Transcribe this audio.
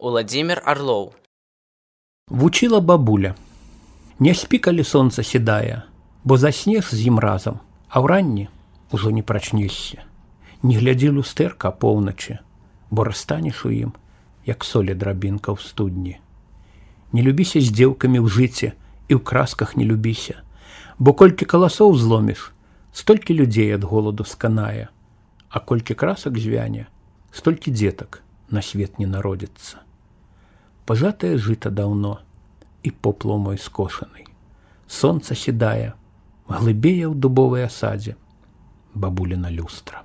Уладзімір Арлоў. Вучила бабуля. Не спі, калі сонца сідае, бо заснеш з ім разам, а ўранні ужо не прачнешся. Не глядзі люстэрка апоўначы, бо расстанеш у ім, як солі драбінка ў студні. Не любіся з дзеўкамі ў жыце і ў красках не любіся, бо колькі каласоў зломіш, столькі людзей ад голаду сканае, а колькі красак звяне, столькі дзетак на свет не народзіцца. Пажатае жыта даўно, і поплаў мой скошаны. Сонца сідае, глыбее ў дубовай асадзе, бабуліна люстра.